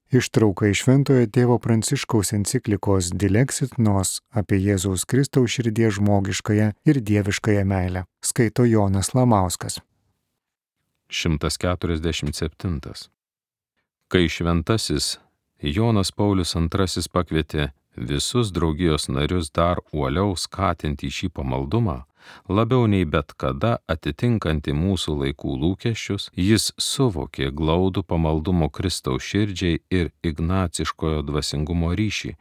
Ištrauka iš Šventojo tėvo Pranciškaus enciklikos Dilexit Nos apie Jėzaus Kristaus širdies žmogiškąją ir dieviškąją meilę. Skaito Jonas Lamauskas. 147. Kai šventasis Jonas Paulius II pakvietė visus draugijos narius dar uoliau skatinti šį pamaldumą, labiau nei bet kada atitinkantį mūsų laikų lūkesčius, jis suvokė glaudų pamaldumo Kristaus širdžiai ir ignaciškojo dvasingumo ryšį,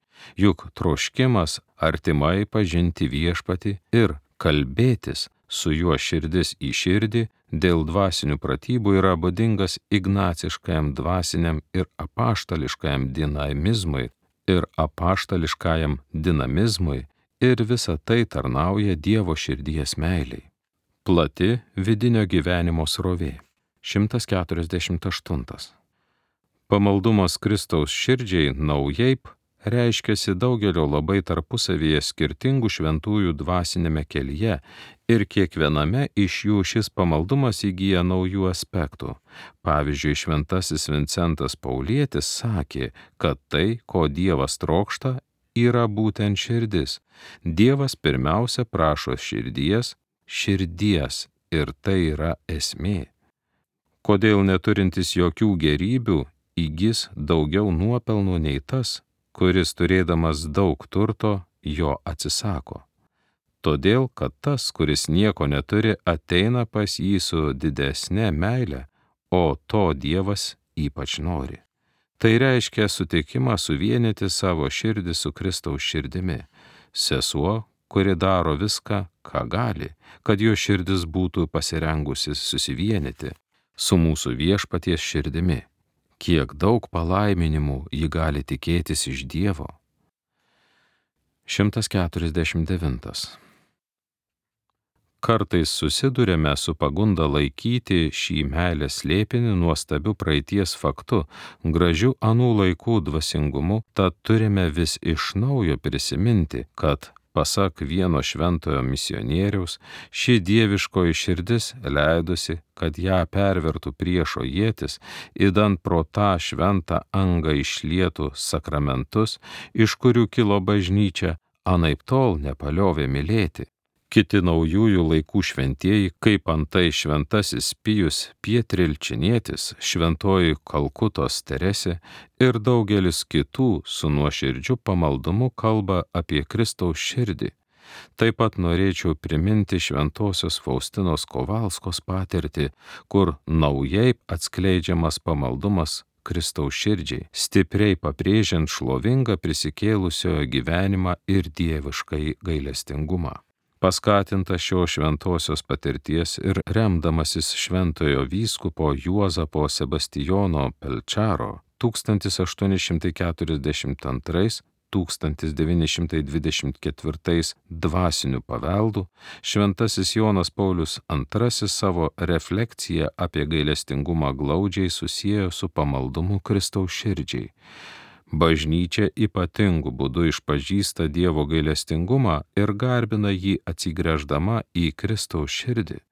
juk troškimas artimai pažinti viešpatį ir kalbėtis su juo širdis į širdį dėl dvasinių pratybų yra būdingas ignaciškajam dvasiniam ir apaštališkajam dinamizmui, ir visa tai tarnauja Dievo širdies meiliai. Plati vidinio gyvenimo srovė. 148. Pamaldumas Kristaus širdžiai naujai reiškiasi daugelio labai tarpusavyje skirtingų šventųjų dvasinėme kelyje ir kiekviename iš jų šis pamaldumas įgyja naujų aspektų. Pavyzdžiui, šventasis Vincentas Paulietis sakė, kad tai, ko Dievas trokšta, yra būtent širdis. Dievas pirmiausia prašo širdies ir tai yra esmė. Kodėl neturintis jokių gerybių įgis daugiau nuopelnų nei tas, kuris turėdamas daug turto jo atsisako? Todėl, kad tas, kuris nieko neturi, ateina pas jį su didesne meile, o to Dievas ypač nori. Tai reiškia sutikimą suvienyti savo širdį su Kristaus širdimi. Sesuo, kuri daro viską, ką gali, kad jo širdis būtų pasirengusi susivienyti su mūsų viešpaties širdimi. Kiek daug palaiminimų ji gali tikėtis iš Dievo. 149. Kartais susiduriame su pagunda laikyti šį meilės slėpinį nuostabiu praeities faktu, gražiu anų laikų dvasingumu, tad turime vis iš naujo prisiminti, kad, pasak vieno šventojo misionieriaus, ši dieviškoji širdis leidusi, kad ją pervertų priešo ietis, idant pro tą šventą angą išlietų sakramentus, iš kurių kilo bažnyčia, anaiptol nepaliovė mylėti. Kiti naujųjų laikų šventieji, kaip antai šventasis Pijus Pietrilčinietis, šventoji Kalkutos Teresė ir daugelis kitų su nuoširdžiu pamaldumu kalba apie Kristaus širdį. Taip pat norėčiau priminti šventosios Faustinos Kovalskos patirtį, kur naujai atskleidžiamas pamaldumas Kristaus širdžiai, stipriai pabrėžiant šlovingą prisikėlusiojo gyvenimą ir dieviškai gailestingumą. Paskatinta šios šventosios patirties ir remdamasis šventojo vyskupo Juozapo Sebastijono Pelčaro 1822–1924 dvasiniu paveldu, šventasis Jonas Paulius II savo reflekciją apie gailestingumą glaudžiai susiejo su pamaldumu Kristaus širdžiai. Bažnyčia ypatingu būdu išpažįsta Dievo gailestingumą ir garbina jį atsigręždama į Kristaus širdį.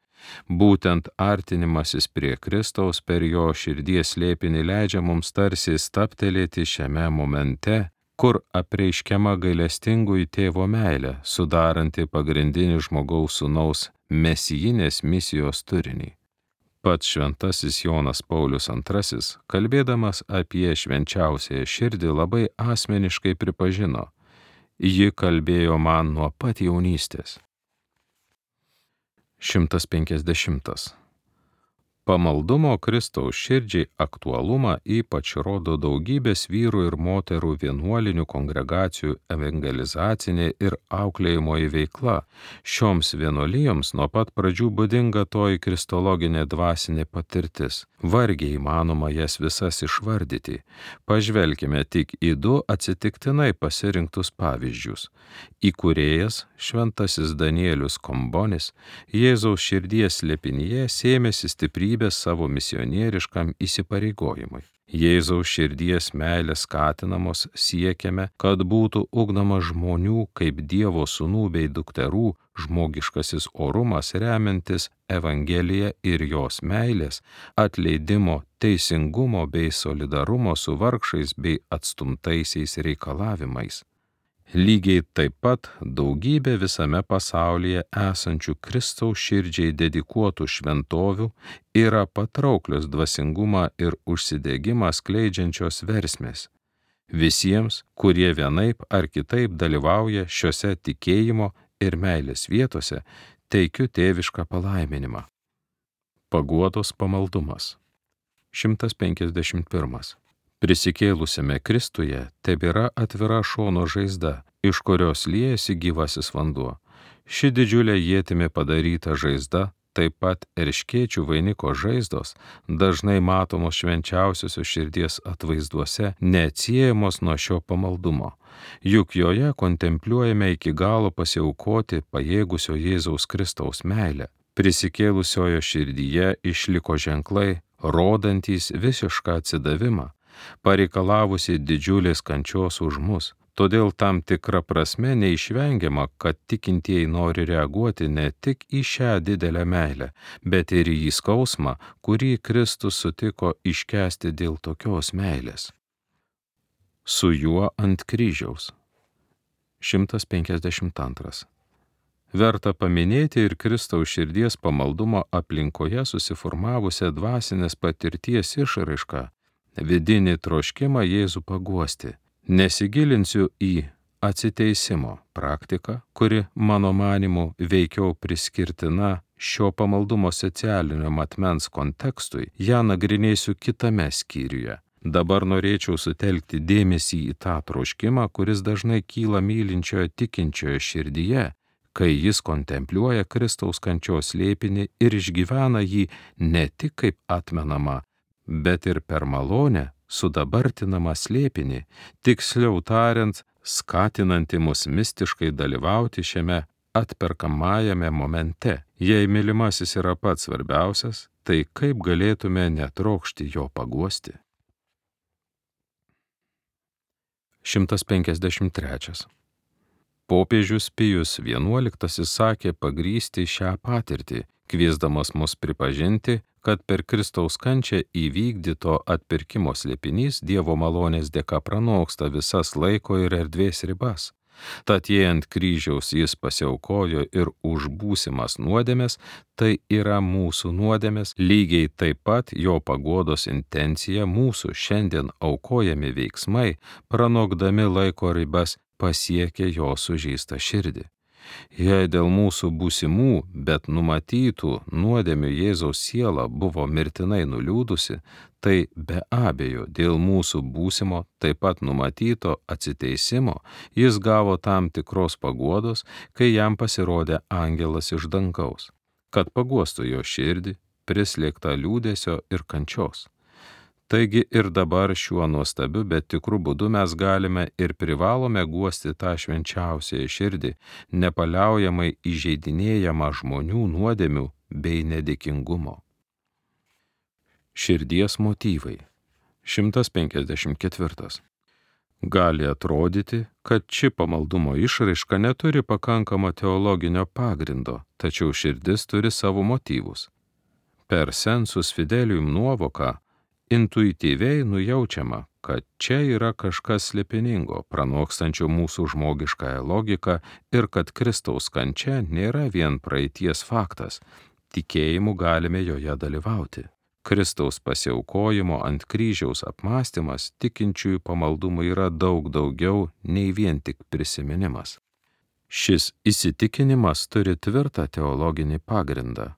Būtent artinimasis prie Kristaus per jo širdies slėpinį leidžia mums tarsi stabtelėti šiame momente, kur apreiškiama gailestingųjų tėvo meilė, sudaranti pagrindinį žmogaus sūnaus mesijinės misijos turinį. Pats šventasis Jonas Paulius II, kalbėdamas apie švenčiausiąją širdį, labai asmeniškai pripažino: ji kalbėjo man nuo pat jaunystės. 150. Pamaldumo Kristaus širdžiai aktualumą ypač rodo daugybės vyrų ir moterų vienuolinių kongregacijų evangelizacinė ir auklėjimoji veikla. Šioms vienuolijoms nuo pat pradžių būdinga toji kristologinė dvasinė patirtis. Vargiai įmanoma jas visas išvardyti. Pažvelkime tik į du atsitiktinai pasirinktus pavyzdžius. Įkūrėjas, šventasis Danielius Kombonis, Jėzaus širdies slėpinyje sėmėsi stiprybės savo misionieriškam įsipareigojimui. Jėzaus širdies meilės skatinamos siekiame, kad būtų ugdoma žmonių kaip Dievo sūnų bei dukterų žmogiškasis orumas remiantis Evangeliją ir jos meilės, atleidimo teisingumo bei solidarumo su vargšais bei atstumtaisiais reikalavimais. Lygiai taip pat daugybė visame pasaulyje esančių Kristaus širdžiai dedikuotų šventovių yra patrauklios dvasingumą ir užsidegimą skleidžiančios versmės. Visiems, kurie vienaip ar kitaip dalyvauja šiuose tikėjimo ir meilės vietose, teikiu tėvišką palaiminimą. Paguodos pamaldumas. 151. Prisikėlusiame Kristuje tebėra atvira šono žaizda, iš kurios liejasi gyvasis vanduo. Ši didžiulė ietimi padaryta žaizda, taip pat erškėčių vainiko žaizdos, dažnai matomos švenčiausiosios širdies atvaizduose, neatsiejamos nuo šio pamaldumo. Juk joje kontempliuojame iki galo pasiaukoti pajėgusio Jėzaus Kristaus meilę. Prisikėlusiojo širdyje išliko ženklai, rodantys visišką atsidavimą, pareikalavusi didžiulės kančios už mus. Todėl tam tikra prasme neišvengiama, kad tikintieji nori reaguoti ne tik į šią didelę meilę, bet ir į skausmą, kurį Kristus sutiko iškęsti dėl tokios meilės. Su juo ant kryžiaus. 152. Verta paminėti ir Kristaus širdies pamaldumo aplinkoje susiformavusią dvasinės patirties išraišką, vidinį troškimą Jėzų paguosti. Nesigilinsiu į atsiteisimo praktiką, kuri, mano manymu, veikiau priskirtina šio pamaldumo socialinio matmens kontekstui, ją nagrinėsiu kitame skyriuje. Dabar norėčiau sutelkti dėmesį į tą troškimą, kuris dažnai kyla mylinčiojo tikinčiojo širdyje, kai jis kontempliuoja Kristaus kančios slėpinį ir išgyvena jį ne tik kaip atmenamą, bet ir per malonę sudabartinamą slėpinį, tiksliau tariant, skatinantį mus mistiškai dalyvauti šiame atperkamajame momente. Jei mylimasis yra pats svarbiausias, tai kaip galėtume netrokšti jo paguosti? 153. Popiežius Pijus XI sakė pagrįsti šią patirtį, kviesdamas mus pripažinti, kad per Kristaus kančią įvykdyto atpirkimo slėpinys Dievo malonės dėka pranoksta visas laiko ir erdvės ribas. Tad jei ant kryžiaus jis pasiaukojo ir už būsimas nuodėmes, tai yra mūsų nuodėmes, lygiai taip pat jo paguodos intencija mūsų šiandien aukojami veiksmai, pranokdami laiko ribas, pasiekė jo sužeistą širdį. Jei dėl mūsų būsimų, bet numatytų nuodėmių Jėzaus siela buvo mirtinai nuliūdusi, tai be abejo dėl mūsų būsimo, taip pat numatyto atsiteisimo, jis gavo tam tikros paguodos, kai jam pasirodė angelas iš dangaus, kad paguostų jo širdį, prislėgtą liūdesio ir kančios. Taigi ir dabar šiuo nuostabiu, bet tikru būdu mes galime ir privalome guosti tą švenčiausiąją širdį, nepaliaujamai įžeidinėjamą žmonių nuodėmių bei nedėkingumo. Širdies motyvai. 154. Gali atrodyti, kad ši pamaldumo išraiška neturi pakankamo teologinio pagrindo, tačiau širdis turi savo motyvus. Per sensus fidelium nuovoką intuityviai nujaučiama, kad čia yra kažkas slėpiningo, pranokstančio mūsų žmogiškąją logiką ir kad Kristaus kančia nėra vien praeities faktas, tikėjimu galime joje dalyvauti. Kristaus pasiaukojimo ant kryžiaus apmąstymas tikinčiųjų pamaldumų yra daug daugiau nei vien tik prisiminimas. Šis įsitikinimas turi tvirtą teologinį pagrindą.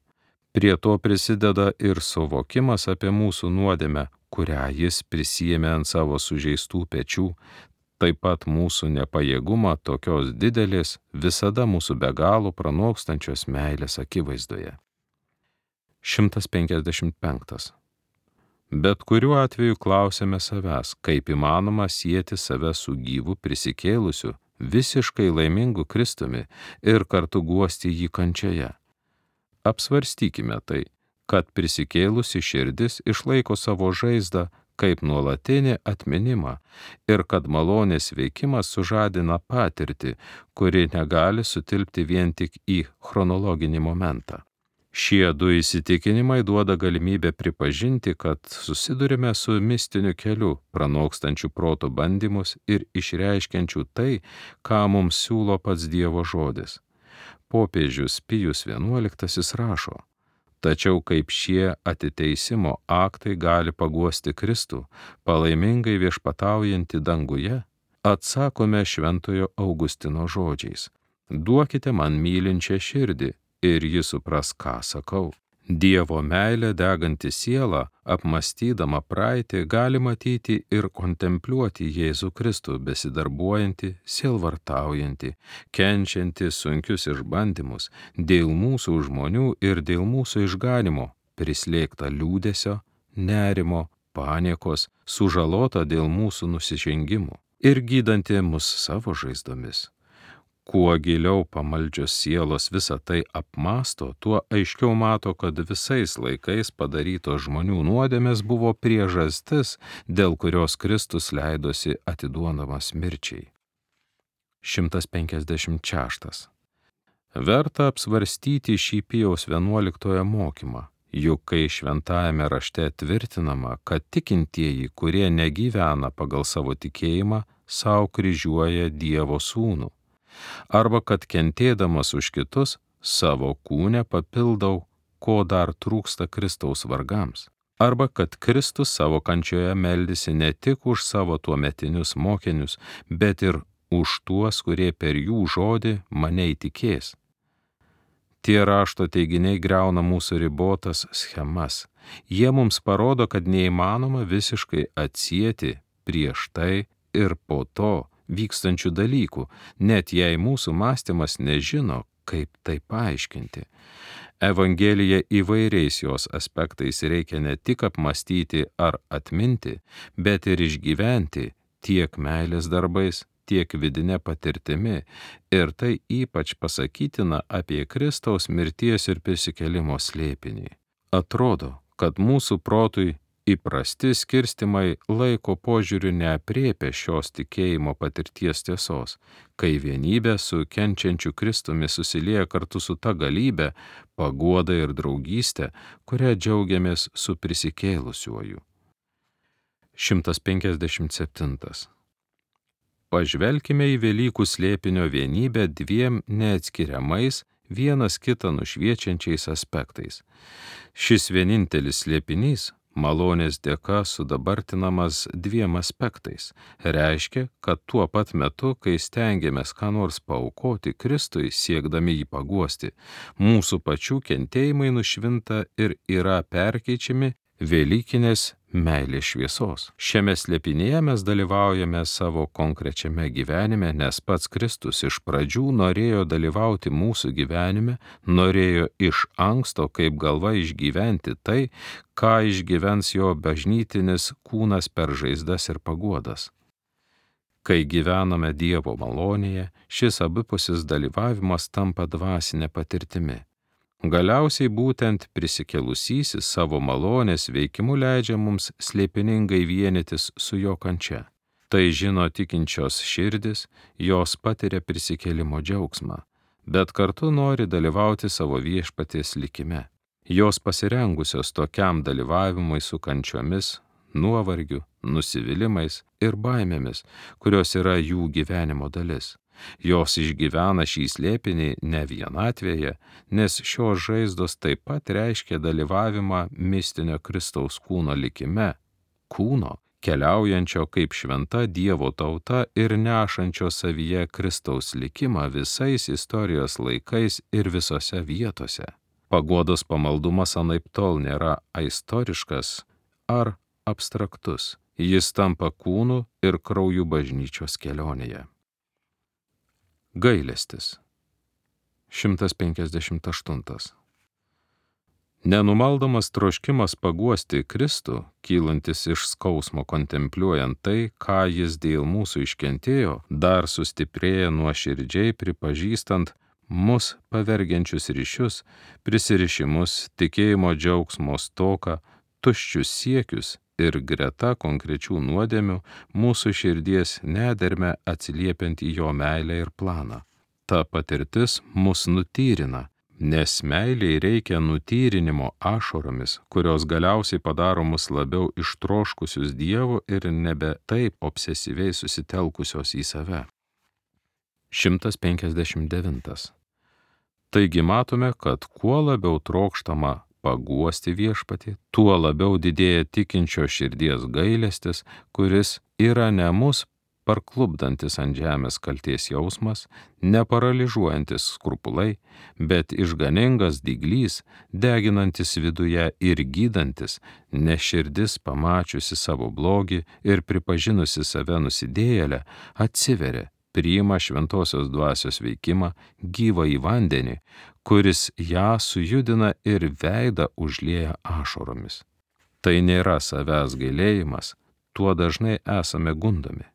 Prie to prisideda ir suvokimas apie mūsų nuodėmę, kurią jis prisiėmė ant savo sužeistų pečių, taip pat mūsų nepajėgumą tokios didelės, visada mūsų be galo pranokstančios meilės akivaizdoje. 155. Bet kuriuo atveju klausėme savęs, kaip įmanoma sieti save su gyvu prisikėlusiu, visiškai laimingu Kristumi ir kartu guosti jį kančioje. Apsvarstykime tai, kad prisikėlusi širdis išlaiko savo žaizdą kaip nuolatinį atminimą ir kad malonės veikimas sužadina patirtį, kuri negali sutilpti vien tik į chronologinį momentą. Šie du įsitikinimai duoda galimybę pripažinti, kad susidurime su mistiniu keliu, pranokstančiu proto bandymus ir išreiškiančiu tai, ką mums siūlo pats Dievo žodis. Popiežius Pijus XI rašo: tačiau kaip šie atiteisimo aktai gali paguosti Kristų, palaimingai viešpataujantį danguje, atsakome Šventojo Augustino žodžiais: duokite man mylinčią širdį, ir ji supras, ką sakau. Dievo meilė deganti siela, apmąstydama praeitį, gali matyti ir kontempliuoti Jėzų Kristų besidarbuojantį, sielvartaujantį, kenčiantį sunkius išbandymus dėl mūsų žmonių ir dėl mūsų išganimo, prislėgtą liūdesio, nerimo, paniekos, sužalota dėl mūsų nusižengimų ir gydantį mus savo žaizdomis. Kuo giliau pamaldžios sielos visą tai apmąsto, tuo aiškiau mato, kad visais laikais padarytos žmonių nuodėmės buvo priežastis, dėl kurios Kristus leidosi atiduodamas mirčiai. 156. Verta apsvarstyti šį Pijaus XI mokymą, juk kai šventajame rašte tvirtinama, kad tikintieji, kurie negyvena pagal savo tikėjimą, sau kryžiuoja Dievo sūnų, arba kad kentėdamas už kitus, savo kūne papildau, ko dar trūksta Kristaus vargams, arba kad Kristus savo kančioje meldėsi ne tik už savo tuometinius mokinius, bet ir už tuos, kurie per jų žodį mane įtikės. Tie rašto teiginiai griauna mūsų ribotas schemas. Jie mums parodo, kad neįmanoma visiškai atsieti prieš tai ir po to vykstančių dalykų, net jei mūsų mąstymas nežino, kaip tai paaiškinti. Evangelija įvairiais jos aspektais reikia ne tik apmąstyti ar atminti, bet ir išgyventi tiek meilės darbais, tiek vidinė patirtimi, ir tai ypač pasakytina apie Kristaus mirties ir prisikėlimo slėpinį. Atrodo, kad mūsų protui įprasti skirstimai laiko požiūriu neaprėpia šios tikėjimo patirties tiesos, kai vienybė su kenčiančiu Kristumi susilieja kartu su ta galybė, paguoda ir draugystė, kurią džiaugiamės su prisikėlusiuoju. 157. Pažvelkime į Velykų slėpinio vienybę dviem neatskiriamais, vienas kitą nušviečiančiais aspektais. Šis vienintelis slėpinys, malonės dėka sudabartinamas dviem aspektais, reiškia, kad tuo pat metu, kai stengiamės ką nors paaukoti Kristui, siekdami jį paguosti, mūsų pačių kentėjimai nušvinta ir yra perkeičiami Velykinės meilės šviesos. Šiame slėpinyje mes dalyvaujame savo konkrečiame gyvenime, nes pats Kristus iš pradžių norėjo dalyvauti mūsų gyvenime, norėjo iš anksto kaip galva išgyventi tai, ką išgyvens jo bažnytinis kūnas per žaizdas ir paguodas. Kai gyvename Dievo malonėje, šis abipusis dalyvavimas tampa dvasinė patirtimi. Galiausiai būtent prisikėlusysis savo malonės veikimu leidžia mums slėpiningai vienytis su jo kančia. Tai žino tikinčios širdis, jos patiria prisikėlimo džiaugsmą, bet kartu nori dalyvauti savo viešpaties likime. Jos pasirengusios tokiam dalyvavimui su kančiomis, nuovargiu, nusivylimais ir baimėmis, kurios yra jų gyvenimo dalis. Jos išgyvena šį slėpinį ne vienatvėje, nes šios žaizdos taip pat reiškia dalyvavimą mistinio Kristaus kūno likime, kūno, keliaujančio kaip šventa Dievo tauta ir nešančio savyje Kristaus likimą visais istorijos laikais ir visose vietose. Paguodos pamaldumas anaiptol nėra aistoriškas ar abstraktus, jis tampa kūnu ir krauju bažnyčios kelionėje. Gailestis. 158. Nenumaldomas troškimas paguosti Kristų, kylantis iš skausmo kontempliuojant tai, ką jis dėl mūsų iškentėjo, dar sustiprėja nuoširdžiai pripažįstant mus pavergiančius ryšius, prisirišimus, tikėjimo džiaugsmo stoką, tuščius siekius ir greta konkrečių nuodėmių mūsų širdies nederme atsiliepiant į jo meilę ir planą. Ta patirtis mus nutyrina, Nes meiliai reikia nutyrinimo ašaromis, kurios galiausiai padaro mus labiau ištroškusius Dievo ir nebe taip obsesyviai susitelkusios į save. 159. Taigi matome, kad kuo labiau trokštama paguosti Viešpatį, tuo labiau didėja tikinčio širdies gailestis, kuris yra ne mus parklupdantis ant žemės kalties jausmas, neparalyžuojantis skrupulai, bet išganingas dyglys, deginantis viduje ir gydantis, nes širdis pamačiusi savo blogį ir pripažinusi save nusidėjėlę, atsiveria, priima šventosios dvasios veikimą, gyvą į vandenį, kuris ją sujudina ir veidą užlieja ašaromis. Tai nėra savęs gailėjimas, tuo dažnai esame gundomi.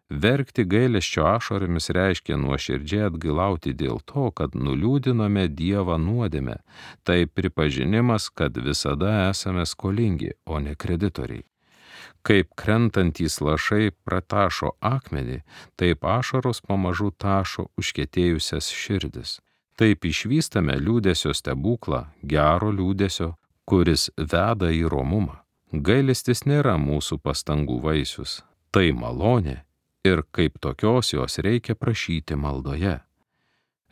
Verkti gailesčio ašaromis reiškia nuoširdžiai atgailauti dėl to, kad nuliūdinome Dievą nuodėmę. Tai pripažinimas, kad visada esame skolingi, o ne kreditoriai. Kaip krentantys lašai pratašo akmenį, taip ašaros pamažu tašo užkietėjusias širdis. Taip išvystame liūdesio stebuklą, gero liūdesio, kuris veda į romumą. Gailestis nėra mūsų pastangų vaisius, tai malonė. Ir kaip tokios jos reikia prašyti maldoje.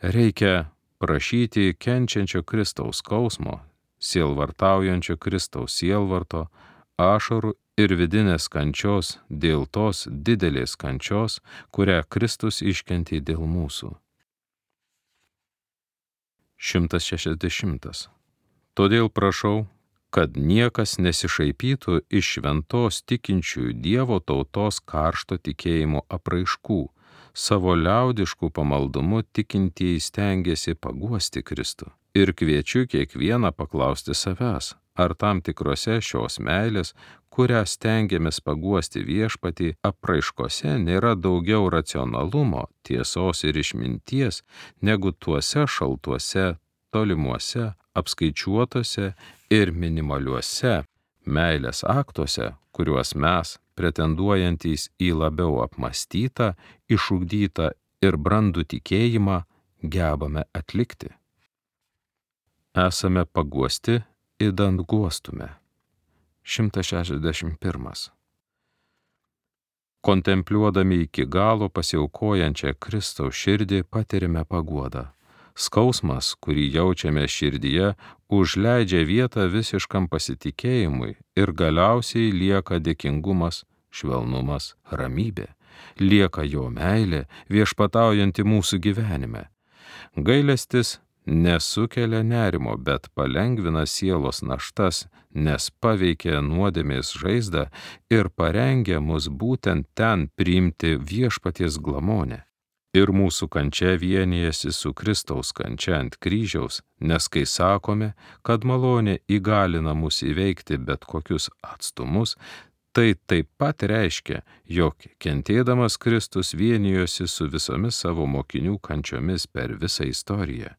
Reikia prašyti kenčiančio Kristaus skausmo, sielvartaujančio Kristaus sielvarto, ašarų ir vidinės kančios dėl tos didelės kančios, kurią Kristus iškentė dėl mūsų. 160. Todėl prašau, kad niekas nesišaipytų iš šventos tikinčiųjų Dievo tautos karšto tikėjimo apraiškų. Savo liaudiškų pamaldumu tikintieji stengiasi paguosti Kristų. Ir kviečiu kiekvieną paklausti savęs, ar tam tikrose šios meilės, kurią stengiamės paguosti Viešpatį, apraiškose nėra daugiau racionalumo, tiesos ir išminties, negu tuose šaltuose, tolimuose, apskaičiuotose ir minimaliuose meilės aktuose, kuriuos mes, pretenduojantys į labiau apmąstytą, išugdytą ir brandų tikėjimą, gebame atlikti. Esame paguosti, idant guostume. 161. Kontempliuodami iki galo pasiaukojančią Kristaus širdį patirime paguodą. Skausmas, kurį jaučiame širdyje, užleidžia vietą visiškam pasitikėjimui ir galiausiai lieka dėkingumas, švelnumas, ramybė. Lieka jo meilė, viešpataujanti mūsų gyvenime. Gailestis nesukelia nerimo, bet palengvina sielos naštas, nes paveikia nuodėmės žaizdą ir parengia mus būtent ten priimti Viešpaties glamonę. Ir mūsų kančia vienijasi su Kristaus kančia ant kryžiaus, nes kai sakome, kad malonė įgalina mus įveikti bet kokius atstumus, tai taip pat reiškia, jog kentėdamas Kristus vienijosi su visomis savo mokinių kančiomis per visą istoriją.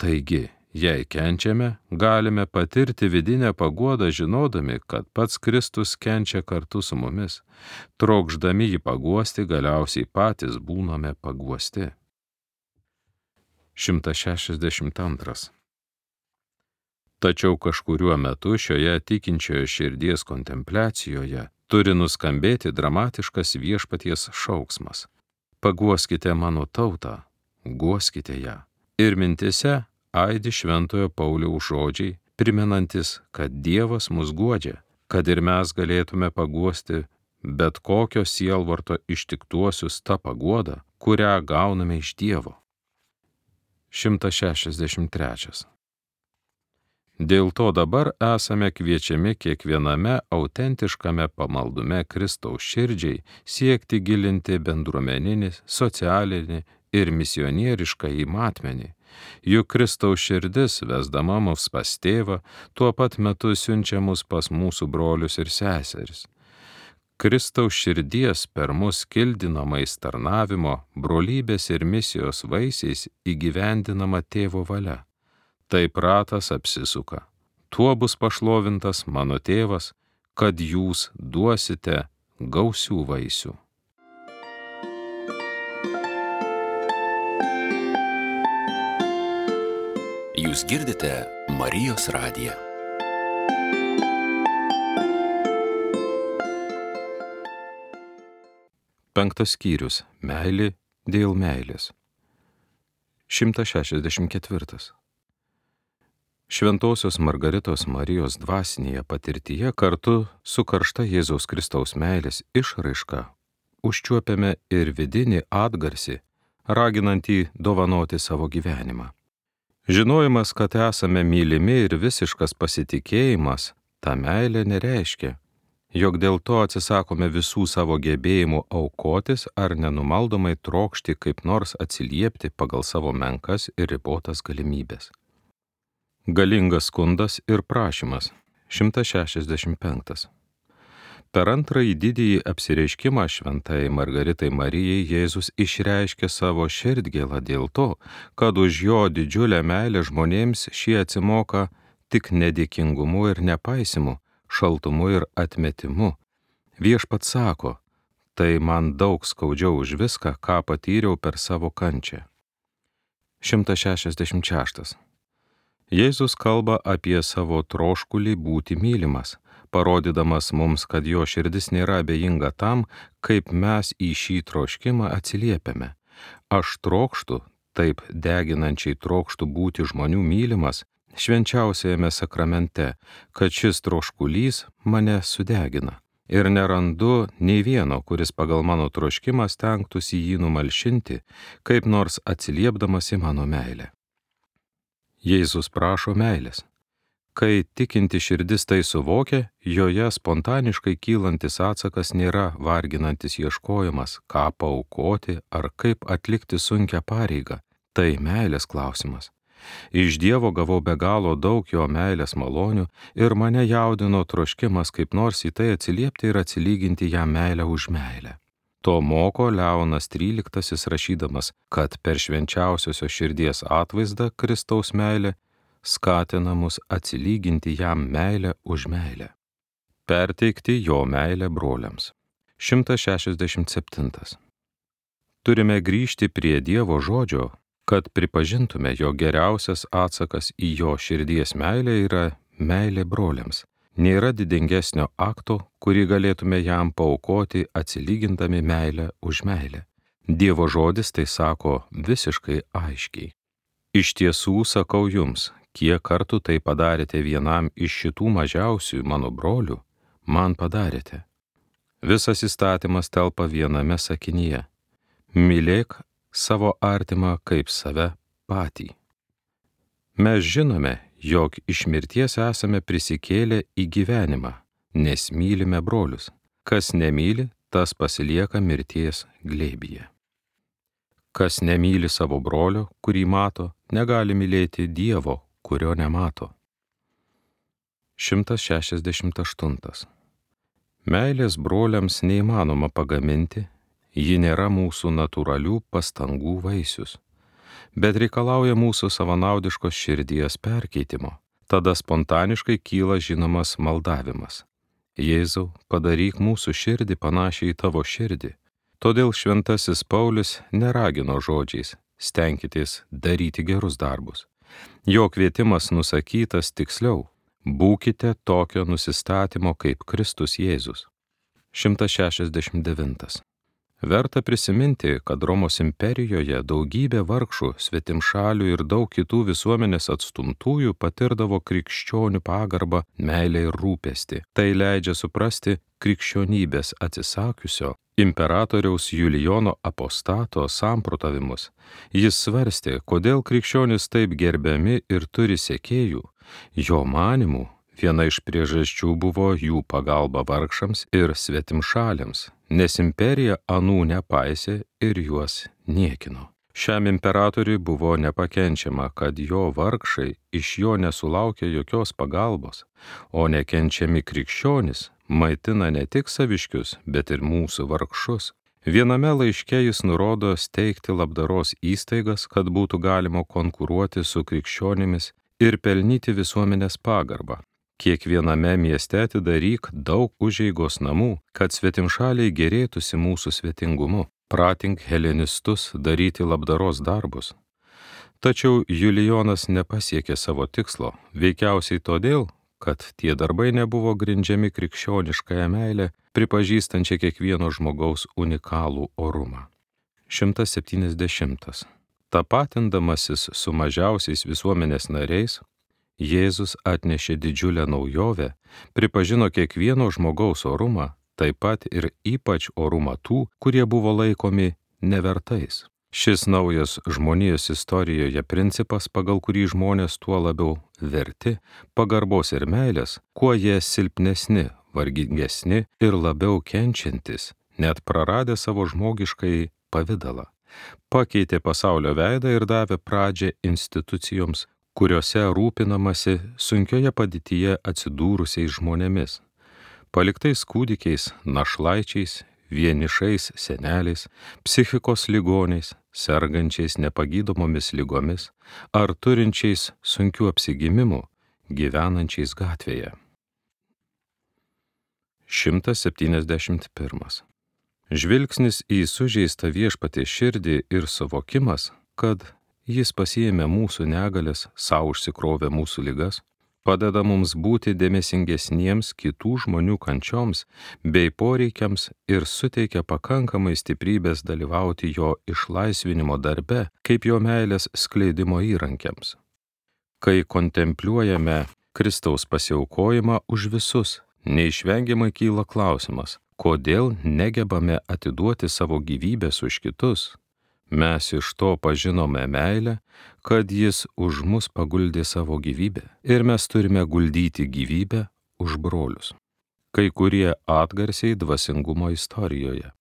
Taigi, jei kenčiame, galime patirti vidinę paguodą žinodami, kad pats Kristus kenčia kartu su mumis. Trokšdami jį paguosti, galiausiai patys būname paguosti. 162. Tačiau kažkuriuo metu šioje tikinčiojo širdies kontempliacijoje turi nuskambėti dramatiškas Viešpaties šauksmas. Paguoskite mano tautą, guoskite ją. Ir mintise aidi šventojo Pauliaus žodžiai, primenantis, kad Dievas mus guodžia, kad ir mes galėtume paguosti bet kokio sielvarto ištiktuosius tą paguodą, kurią gauname iš Dievo. 163. Dėl to dabar esame kviečiami kiekviename autentiškame pamaldume Kristaus širdžiai siekti gilinti bendruomeninį, socialinį ir misionierišką matmenį. Juk Kristaus širdis, vesdama mus pas tėvą, tuo pat metu siunčia mus pas mūsų brolius ir seseris. Kristaus širdies per mus kildinamais tarnavimo, brolybės ir misijos vaisiais įgyvendinama tėvo valia. Taip ratas apsisuka. Tuo bus pašlovintas mano tėvas, kad jūs duosite gausių vaisių. Jūs girdite Marijos radiją. Penktas skyrius. Meilė dėl meilės. 164. Šventosios Margaritos Marijos dvasinėje patirtyje kartu su karšta Jėzaus Kristaus meilės išraiška užčiuopiame ir vidinį atgarsį, raginantį dovanoti savo gyvenimą. Žinojimas, kad esame mylimi ir visiškas pasitikėjimas, ta meilė nereiškia, jog dėl to atsisakome visų savo gebėjimų aukotis ar nenumaldomai trokšti kaip nors atsiliepti pagal savo menkas ir ribotas galimybės. Galingas skundas ir prašymas. 165. Per antrąjį didįjį apsireiškimą šventai Margaritai Marijai Jėzus išreiškė savo širdgėlą dėl to, kad už jo didžiulę meilę žmonėms šie atsimoka tik nedėkingumu ir nepaisimu, šaltumu ir atmetimu. Viešpats sako, tai man daug skaudžiau už viską, ką patyriau per savo kančią. 166. Jėzus kalba apie savo troškulį būti mylimas, parodydamas mums, kad jo širdis nėra abejinga tam, kaip mes į šį troškimą atsiliepiame. Aš trokštu, taip deginančiai trokštu būti žmonių mylimas, švenčiausiajame sakramente, kad šis troškulys mane sudegina. Ir nerandu nei vieno, kuris pagal mano troškimą stengtųsi jį numalšinti, kaip nors atsiliepdamas į mano meilę. Jėzus prašo meilės. Kai tikinti širdis tai suvokia, joje spontaniškai kylantis atsakas nėra varginantis ieškojimas, ką paaukoti ar kaip atlikti sunkią pareigą. Tai meilės klausimas. Iš Dievo gavau be galo daug jo meilės malonių ir mane jaudino troškimas kaip nors į tai atsiliepti ir atsilyginti jam meilę už meilę. To moko Leonas XIII rašydamas, kad per švenčiausiosios širdies atvaizdą Kristaus meilė skatina mus atsilyginti jam meilę už meilę. Perteikti jo meilę broliams. 167. Turime grįžti prie Dievo žodžio, kad pripažintume, jo geriausias atsakas į jo širdies meilę yra meilė broliams. Nėra didingesnio akto, kurį galėtume jam paaukoti atsilygindami meilę už meilę. Dievo žodis tai sako visiškai aiškiai. Iš tiesų sakau jums, kiek kartų tai padarėte vienam iš šitų mažiausių mano brolių, man padarėte. Visas įstatymas telpa viename sakinyje. Mylėk savo artimą kaip save patį. Mes žinome, jog iš mirties esame prisikėlę į gyvenimą, nes mylime brolius. Kas nemyli, tas pasilieka mirties glėbyje. Kas nemyli savo brolio, kurį mato, negali mylėti Dievo, kurio nemato. 168. Meilės broliams neįmanoma pagaminti, ji nėra mūsų natūralių pastangų vaisius, bet reikalauja mūsų savanaudiškos širdies perkeitimo. Tada spontaniškai kyla žinomas maldavimas. Jėzau, padaryk mūsų širdį panašiai į tavo širdį. Todėl šventasis Paulius neragino žodžiais, stenkitės daryti gerus darbus. Jo kvietimas nusakytas tiksliau, būkite tokio nusistatymo kaip Kristus Jėzus. 169. Verta prisiminti, kad Romos imperijoje daugybė vargšų, svetimšalių ir daug kitų visuomenės atstumtųjų patirdavo krikščionių pagarbą, meilę ir rūpestį. Tai leidžia suprasti krikščionybės atsisakiusio imperatoriaus Julijono apostato samprotavimus. Jis svarstė, kodėl krikščionys taip gerbiami ir turi sekėjų. Jo manymu, viena iš priežasčių buvo jų pagalba vargšams ir svetimšaliams, nes imperija anų nepaisė ir juos niekino. Šiam imperatoriui buvo nepakenčiama, kad jo vargšai iš jo nesulaukia jokios pagalbos, o nekenčiami krikščionys maitina ne tik saviškius, bet ir mūsų vargšus. Viename laiške jis nurodo steigti labdaros įstaigas, kad būtų galima konkuruoti su krikščionimis ir pelnyti visuomenės pagarbą. Kiekviename mieste atidaryk daug užeigos namų, kad svetimšaliai gerėtųsi mūsų svetingumu. Pratink helenistus daryti labdaros darbus. Tačiau Julijonas nepasiekė savo tikslo, veikiausiai todėl, kad tie darbai nebuvo grindžiami krikščioniškąją meilę, pripažįstančią kiekvieno žmogaus unikalų orumą. 170. Tapatindamasis su mažiausiais visuomenės nariais, Jėzus atnešė didžiulę naujovę, pripažino kiekvieno žmogaus orumą, taip pat ir ypač orumą tų, kurie buvo laikomi nevertais. Šis naujas žmonijos istorijoje principas, pagal kurį žmonės tuo labiau verti pagarbos ir meilės, kuo jie silpnesni, vargingesni ir labiau kenčiantis, net praradę savo žmogiškai pavidalą, pakeitė pasaulio veidą ir davė pradžią institucijoms, kuriuose rūpinamasi sunkioje padėtyje atsidūrusiais žmonėmis, paliktais kūdikiais, našlaičiais, vienišais seneliais, psichikos ligoniais, sergančiais nepagydomomis ligomis ar turinčiais sunkių apsigimimų, gyvenančiais gatvėje. 171. Žvilgsnis į sužeistą Viešpaties širdį ir suvokimas, kad Jis pasiėmė mūsų negalės, sau užsikrovė mūsų ligas, padeda mums būti dėmesingesniems kitų žmonių kančioms bei poreikiams ir suteikia pakankamai stiprybės dalyvauti jo išlaisvinimo darbe, kaip jo meilės skleidimo įrankiams. Kai kontempliuojame Kristaus pasiaukojimą už visus, neišvengiamai kyla klausimas, kodėl negebame atiduoti savo gyvybės už kitus. Mes iš to pažinome meilę, kad Jis už mus paguldė savo gyvybę ir mes turime guldyti gyvybę už brolius. Kai kurie atgarsiai dvasingumo istorijoje.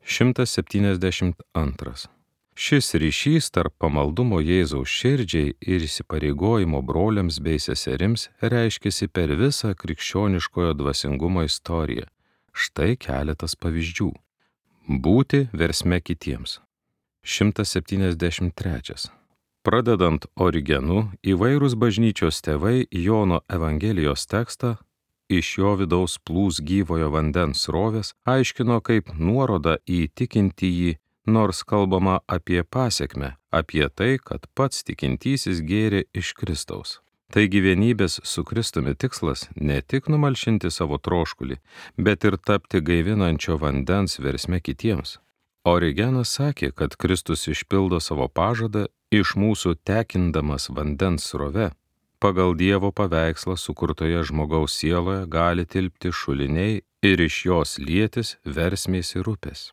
172. Šis ryšys tarp pamaldumo Jėzaus širdžiai ir įsipareigojimo broliams bei seserims reiškiasi per visą krikščioniškojo dvasingumo istoriją. Štai keletas pavyzdžių. Būti versme kitiems. 173. Pradedant Origenu, įvairūs bažnyčios tėvai Jono Evangelijos tekstą iš jo vidaus plūs gyvojo vandens srovės aiškino kaip nuorodą į tikintįjį, nors kalbama apie pasekmę, apie tai, kad pats tikintysis gėrė iš Kristaus. Taigi vienybės su Kristumi tikslas ne tik numalšinti savo troškulį, bet ir tapti gaivinančio vandens versme kitiems. Origenas sakė, kad Kristus išpildo savo pažadą iš mūsų tekindamas vandens srove. Pagal Dievo paveikslą sukurtoje žmogaus sieloje gali tilpti šuliniai ir iš jos lietis versmės ir upės.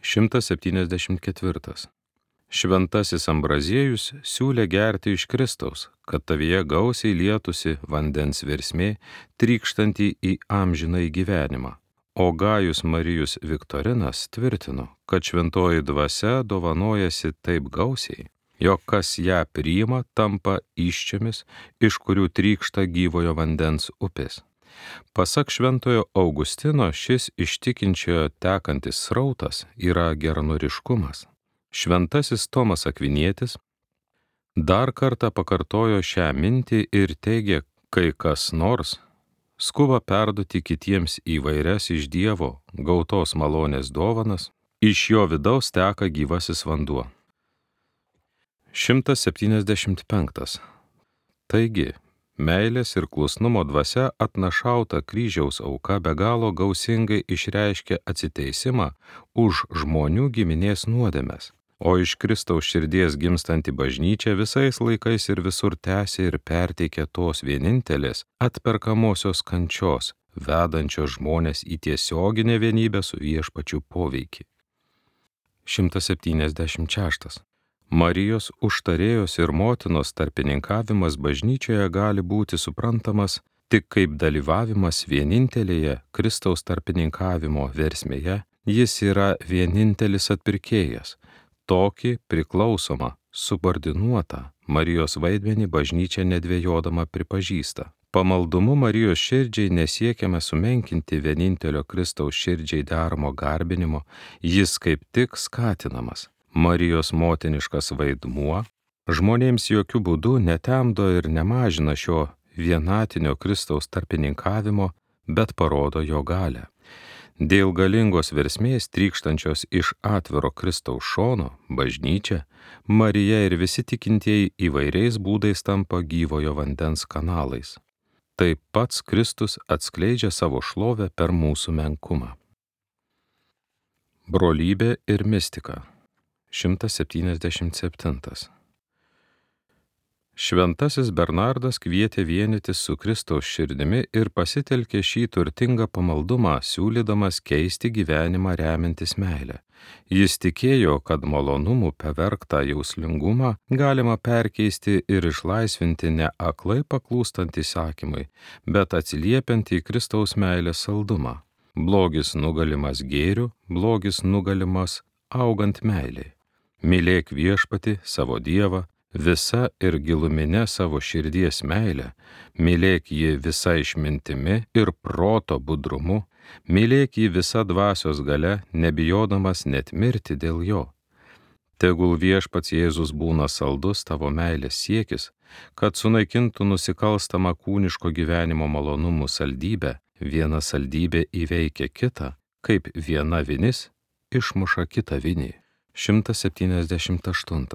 174. Šventasis Ambraziejus siūlė gerti iš Kristaus, kad tavyje gausiai lietusi vandens versmė, trykštanti į amžinąjį gyvenimą. O Gajus Marijus Viktorinas tvirtino, kad šventoji dvasia dovanojasi taip gausiai, jog kas ją priima, tampa įsčiomis, iš kurių trykšta gyvojo vandens upės. Pasak šventojo Augustino, šis iš tikinčiojo tekantis srautas yra geranoriškumas. Šventasis Tomas Akvinietis dar kartą pakartojo šią mintį ir teigė, kai kas nors skuba perduoti kitiems įvairias iš Dievo gautos malonės dovanas, iš jo vidaus teka gyvasis vanduo. 175. Taigi, meilės ir klusnumo dvasia atnašauta kryžiaus auka be galo gausingai išreiškia atsiteisimą už žmonių giminės nuodėmes, o iš Kristaus širdies gimstanti bažnyčia visais laikais ir visur tęsia ir perteikia tos vienintelės atperkamosios kančios, vedančios žmonės į tiesioginę vienybę su Viešpačiu poveikį. 176. Marijos užtarėjos ir motinos tarpininkavimas bažnyčioje gali būti suprantamas tik kaip dalyvavimas vienintelėje Kristaus tarpininkavimo versmėje. Jis yra vienintelis atpirkėjas. Tokį priklausomą, subordinuotą Marijos vaidmenį bažnyčia nedvejodama pripažįsta. Pamaldumu Marijos širdžiai nesiekiame sumenkinti vienintelio Kristaus širdžiai deramo garbinimo, jis kaip tik skatinamas. Marijos motiniškas vaidmuo žmonėms jokių būdų netemdo ir nemažina šio vienatinio Kristaus tarpininkavimo, bet parodo jo galią. Dėl galingos versmės trykštančios iš atviro Kristaus šono, bažnyčia, Marija ir visi tikintieji įvairiais būdais tampa gyvojo vandens kanalais. Taip pats Kristus atskleidžia savo šlovę per mūsų menkumą. Brolybė ir mistika. 177. Šventasis Bernardas kvietė vienytis su Kristaus širdimi ir pasitelkė šį turtingą pamaldumą, siūlydamas keisti gyvenimą remiantis meilę. Jis tikėjo, kad malonumų pavergtą jauslingumą galima perkeisti ir išlaisvinti ne aklai paklūstant įsakymui, bet atsiliepiant į Kristaus meilės saldumą. Blogis nugalimas gėriu, blogis nugalimas augant meiliai. Mylėk Viešpatį, savo Dievą, visa ir gilumine savo širdies meilę, mylėk jį visa išmintimi ir proto budrumu, mylėk jį visa dvasios galia, nebijodamas net mirti dėl jo. Tegul Viešpats Jėzus būna saldus tavo meilės siekis, kad sunaikintų nusikalstamą kūniško gyvenimo malonumų saldybę, viena saldybė įveikia kitą, kaip viena vinis išmuša kitą vinį. 178.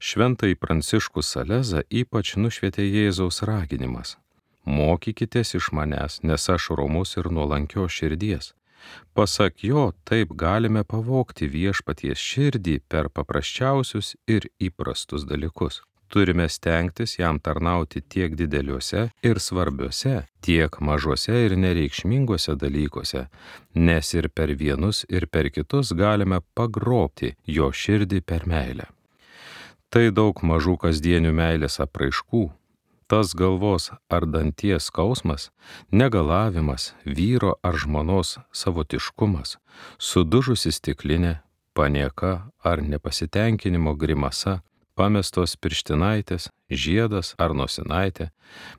Šventąjį Pranciškų Salezą ypač nušvietė Jėzaus raginimas. Mokykitės iš manęs, nes aš romus ir nuolankios širdies. Pasak jo, taip galime pavogti Viešpaties širdį per paprasčiausius ir įprastus dalykus. Turime stengtis jam tarnauti tiek dideliuose ir svarbiuose, tiek mažuose ir nereikšminguose dalykuose, nes ir per vienus ir per kitus galime pagrobti jo širdį per meilę. Tai daug mažų kasdienių meilės apraiškų, tas galvos ar danties skausmas, negalavimas, vyro ar žmonos savotiškumas, sudužusi stiklinė, panieka ar nepasitenkinimo grimasa, pamestos pirštinaitės, žiedas ar nosinaitė,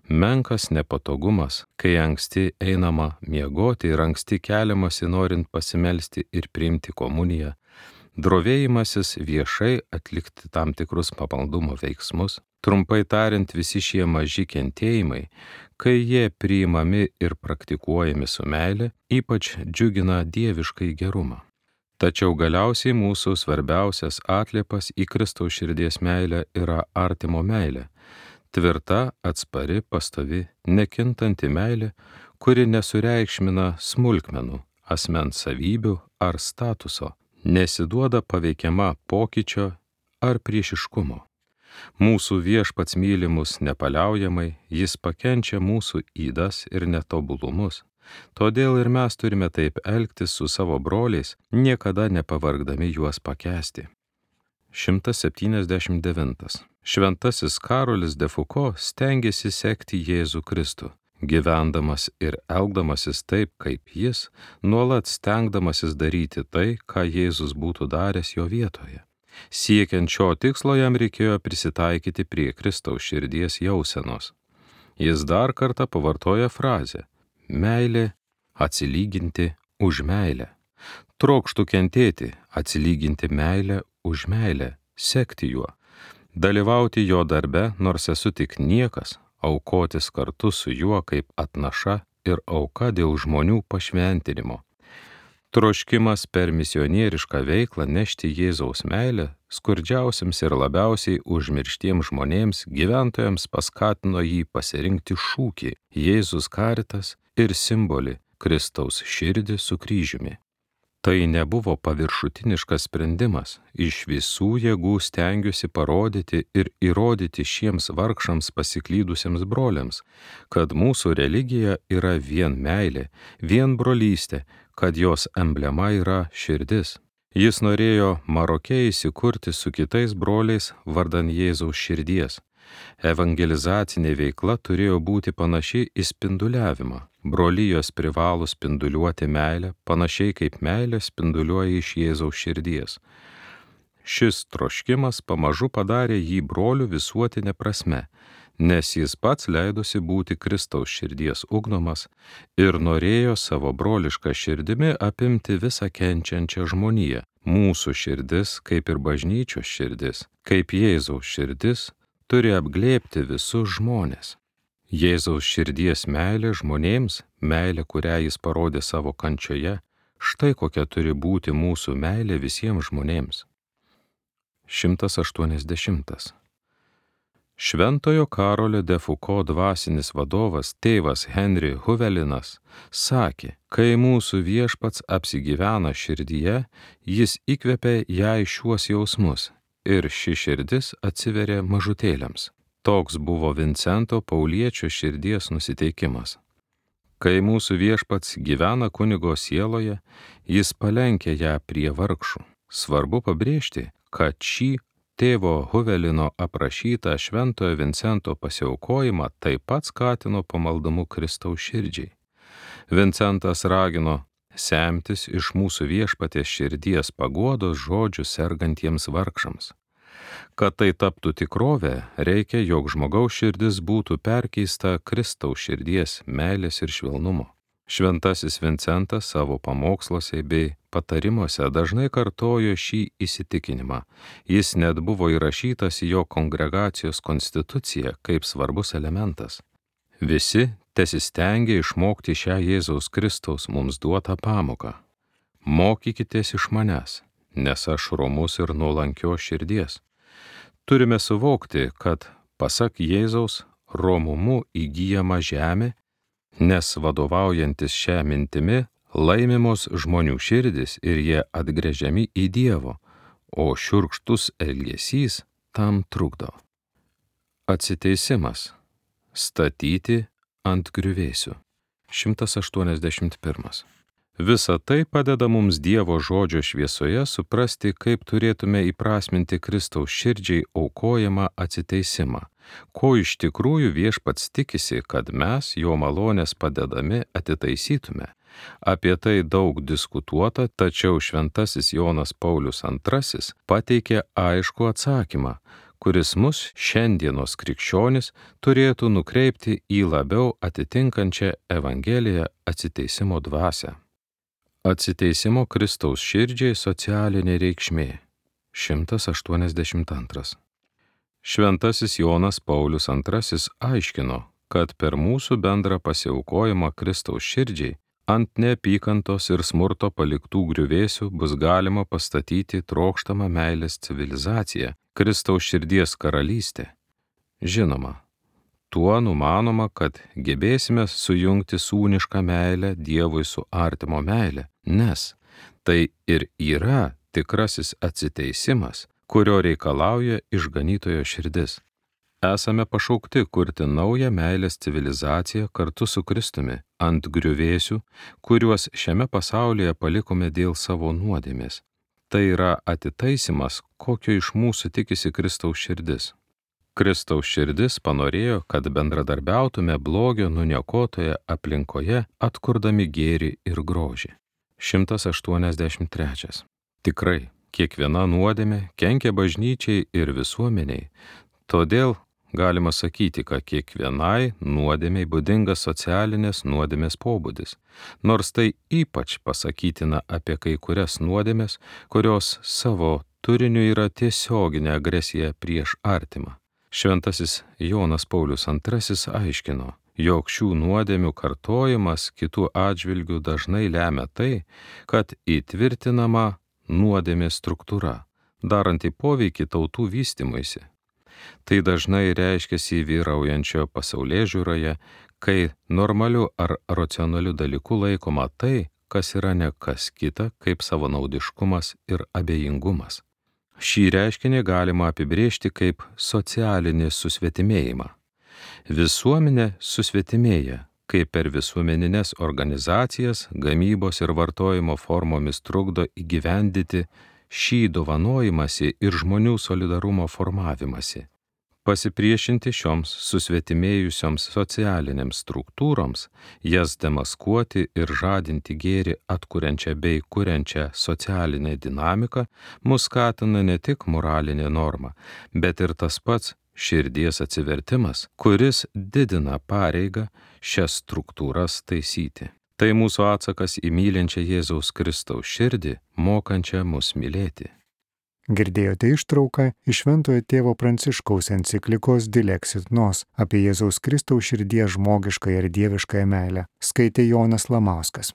menkas nepatogumas, kai anksti einama miegoti ir anksti keliamasi norint pasimelsti ir priimti komuniją, drovėjimasis viešai atlikti tam tikrus pamaldumo veiksmus, trumpai tariant visi šie maži kentėjimai, kai jie priimami ir praktikuojami su meile, ypač džiugina dieviškai gerumą. Tačiau galiausiai mūsų svarbiausias atliepas į Kristaus širdies meilę yra artimo meilė, tvirta, atspari, pastovi, nekintanti meilė, kuri nesureikšmina smulkmenų, asmens savybių ar statuso, nesiduoda paveikiama pokyčio ar priešiškumo. Mūsų Viešpats myli mus nepaliaujamai, jis pakenčia mūsų ydas ir netobulumus. Todėl ir mes turime taip elgtis su savo broliais, niekada nepavargdami juos pakęsti. 179. Šventasis Karolis de Foucault stengėsi sekti Jėzų Kristų, gyvendamas ir elgdamasis taip, kaip jis, nuolat stengdamasis daryti tai, ką Jėzus būtų daręs jo vietoje. Siekiant šio tikslo jam reikėjo prisitaikyti prie Kristaus širdies jausenos. Jis dar kartą pavartoja frazę: meilė atsilyginti už meilę. Trokštų kentėti, atsilyginti meilę už meilę, sekti juo, dalyvauti jo darbe, nors esu tik niekas, aukotis kartu su juo kaip atnaša ir auka dėl žmonių pašventinimo. Troškimas per misionierišką veiklą nešti Jėzaus meilę skurdžiausiams ir labiausiai užmirštiems žmonėms gyventojams paskatino jį pasirinkti šūkį Jėzus Caritas ir simbolį Kristaus širdį su kryžiumi. Tai nebuvo paviršutiniškas sprendimas, iš visų jėgų stengiuosi parodyti ir įrodyti šiems vargšams pasiklydusiems broliams, kad mūsų religija yra vien meilė, vien brolystė, kad jos emblema yra širdis. Jis norėjo Maroke įsikurti su kitais broliais vardan Jėzaus širdies. Evangelizacinė veikla turėjo būti panaši į spinduliavimą. Brolijos privalo spinduliuoti meilę, panašiai kaip meilė spinduliuoja iš Jėzaus širdies. Šis troškimas pamažu padarė jį brolių visuotinė prasme, nes jis pats leidosi būti Kristaus širdies ugdomas ir norėjo savo brolišką širdimi apimti visą kenčiančią žmoniją. Mūsų širdis, kaip ir bažnyčios širdis, kaip Jėzaus širdis, turi apglėbti visus žmones. Jėzaus širdies meilė žmonėms, meilė, kurią jis parodė savo kančioje, štai kokia turi būti mūsų meilė visiems žmonėms. 180. Šventojo Karolio de Foucault dvasinis vadovas tėvas Henry Huvelinas sakė, kai mūsų viešpats apsigyvena širdyje, jis įkvepia jai šiuos jausmus ir ši širdis atsiveria mažutėliams. Toks buvo Vincento Pauliečio širdies nusiteikimas. Kai mūsų viešpats gyvena kunigo sieloje, jis palenkia ją prie vargšų. Svarbu pabrėžti, kad šį tėvo Huvelino aprašytą šventojo Vincento pasiaukojimą taip pat skatino pamaldumu Kristaus širdžiai. Vincentas ragino semtis iš mūsų viešpaties širdies paguodos žodžių sergantiems vargšams. Kad tai taptų tikrovė, reikia, jog žmogaus širdis būtų perkeista Kristaus širdies, meilės ir švelnumo. Šventasis Vincentas savo pamoksluose bei patarimuose dažnai kartojo šį įsitikinimą. Jis net buvo įrašytas į jo kongregacijos konstituciją kaip svarbus elementas. Visi tesistengia išmokti šią Jėzaus Kristaus mums duotą pamoką. Mokykitės iš manęs, nes aš romus ir nuolankios širdies. Turime suvokti, kad, pasak Jėzaus, romumu įgyjama žemė, nes vadovaujantis šią mintimi laimimos žmonių širdis ir jie atgręžiami į Dievo, o šiurkštus elgesys tam trukdo. Atsiteisimas. Statyti ant griuvėsių. 181. Visa tai padeda mums Dievo žodžio šviesoje suprasti, kaip turėtume įprasminti Kristaus širdžiai aukojamą atsiteisimą, ko iš tikrųjų viešpats tikisi, kad mes jo malonės padedami atitaisytume. Apie tai daug diskutuota, tačiau šventasis Jonas Paulius II pateikė aiškų atsakymą, kuris mus šiandienos krikščionis turėtų nukreipti į labiau atitinkančią Evangeliją atsiteisimo dvasią. Atsiteisimo Kristaus širdžiai socialinė reikšmė. 182. Šventasis Jonas Paulius II aiškino, kad per mūsų bendrą pasiaukojimą Kristaus širdžiai ant neapykantos ir smurto paliktų griuvėsių bus galima pastatyti trokštamą meilės civilizaciją, Kristaus širdies karalystę. Žinoma, tuo numanoma, kad gebėsime sujungti sūnišką meilę Dievui su artimo meilė, nes tai ir yra tikrasis atsiteisimas, kurio reikalauja išganytojo širdis. Esame pašaukti kurti naują meilės civilizaciją kartu su Kristumi ant griuvėsių, kuriuos šiame pasaulyje palikome dėl savo nuodėmės. Tai yra atitaisimas, kokio iš mūsų tikisi Kristaus širdis. Kristaus širdis panorėjo, kad bendradarbiautume blogio nuniokotoje aplinkoje, atkurdami gėrį ir grožį. 183. Tikrai, kiekviena nuodėmė kenkia bažnyčiai ir visuomeniai, todėl galima sakyti, kad kiekvienai nuodėmei būdingas socialinės nuodėmės pobūdis, nors tai ypač pasakytina apie kai kurias nuodėmes, kurios savo turiniu yra tiesioginė agresija prieš artimą. Šventasis Jonas Paulius II aiškino, jog šių nuodėmių kartojimas kitų atžvilgių dažnai lemia tai, kad įtvirtinama nuodėmės struktūra, daranti poveikį tautų vystymuisi. Tai dažnai reiškiasi vyraujančio pasaulėžiūroje, kai normaliu ar racionaliu dalyku laikoma tai, kas yra ne kas kita kaip savanaudiškumas ir abejingumas. Šį reiškinį galima apibrėžti kaip socialinį susvetimėjimą. Visuomenė susvetimėja, kai per visuomeninės organizacijas gamybos ir vartojimo formomis trukdo įgyvendyti šį dovanojimąsi ir žmonių solidarumo formavimąsi. Pasipriešinti šioms susvetimėjusioms socialinėms struktūroms, jas demaskuoti ir žadinti gėrį atkuriančią bei kuriančią socialinę dinamiką, mus skatina ne tik moralinė norma, bet ir tas pats širdies atsivertimas, kuris didina pareigą šias struktūras taisyti. Tai mūsų atsakas į mylinčią Jėzaus Kristaus širdį, mokančią mus mylėti. Girdėjote ištrauką iš Šventojo tėvo Pranciškaus enciklikos Dilexit Nos apie Jėzaus Kristaus širdies žmogiškąją ir dieviškąją meilę. Skaitė Jonas Lamauskas.